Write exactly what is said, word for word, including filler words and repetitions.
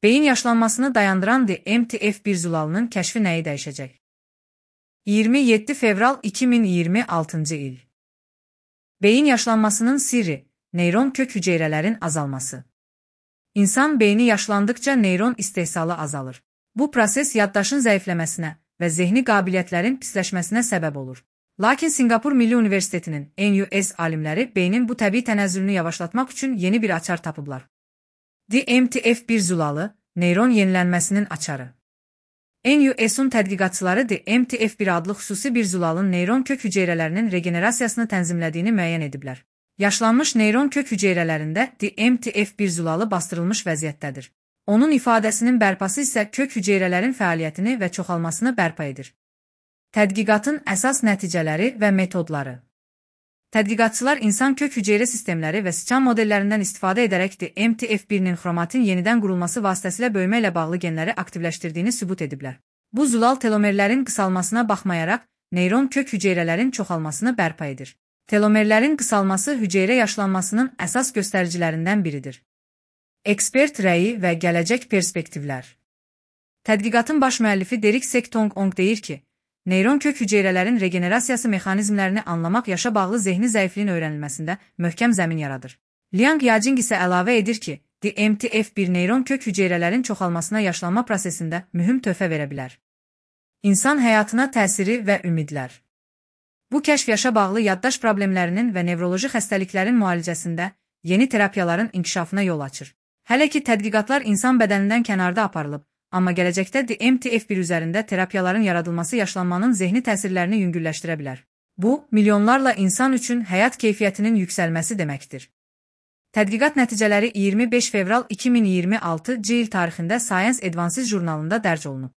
Beyin yaşlanmasını dayandıran D M T F bir zulalının kəşfi nəyi dəyişəcək? iyirmi yeddi fevral iki min iyirmi altıncı il. Beyin yaşlanmasının sirri, neyron kök hüceyrələrin azalması. İnsan beyni yaşlandıkça neyron istehsalı azalır. Bu proses yaddaşın zəifləməsinə və zehni qabiliyyətlərin pisləşməsinə səbəb olur. Lakin Singapur Milli Universitetinin N U S alimləri beynin bu təbii tənəzzülünü yavaşlatmaq üçün yeni bir açar tapıblar. D M T F bir zulalı, neyron yenilənməsinin açarı. N U S'un tədqiqatçıları D M T F bir adlı xüsusi bir zulalın neyron kök hüceyrələrinin regenerasiyasını tənzimlədiyini müəyyən ediblər. Yaşlanmış neyron kök hüceyrələrində D M T F bir zulalı bastırılmış vəziyyətdədir. Onun ifadəsinin bərpası isə kök hüceyrələrin fəaliyyətini və çoxalmasını bərpa edir. Tədqiqatın əsas nəticələri və metodları. Tədqiqatçılar insan kök hüceyrə sistemləri və sıçan modellərindən istifadə edərək D M T F birinin xromatin yenidən qurulması vasitəsilə böyümə ilə bağlı genləri aktivləşdirdiyini sübut ediblər. Bu zulal telomerlərin qısalmasına baxmayaraq, neyron kök hüceyrələrin çoxalmasını bərpa edir. Telomerlərin qısalması hüceyrə yaşlanmasının əsas göstəricilərindən biridir. Ekspert rəyi və gələcək perspektivlər. Tədqiqatın baş müəllifi Derek Sek-Tong-Ong deyir ki, neyron kök hüceyrələrin regenerasiyası mexanizmlərini anlamaq yaşa bağlı zehni zəifliyin öyrənilməsində möhkəm zəmin yaradır. Liang Yajing isə əlavə edir ki, D M T F bir neyron kök hüceyrələrin çoxalmasına yaşlanma prosesində mühüm töhfə verə bilər. İnsan həyatına təsiri və ümidlər. Bu kəşf yaşa bağlı yaddaş problemlərinin və nevroloji xəstəliklərin müalicəsində yeni terapiyaların inkişafına yol açır. Hələ ki tədqiqatlar insan bədənindən kənarda aparılıb, amma gələcəkdə D M T F bir üzərində terapiyaların yaradılması yaşlanmanın zehni təsirlərini yüngülləşdirə bilər. Bu, milyonlarla insan üçün həyat keyfiyyətinin yüksəlməsi deməkdir. Tədqiqat nəticələri iyirmi beş fevral iki min iyirmi altıncı il tarixində Science Advances jurnalında dərc olunub.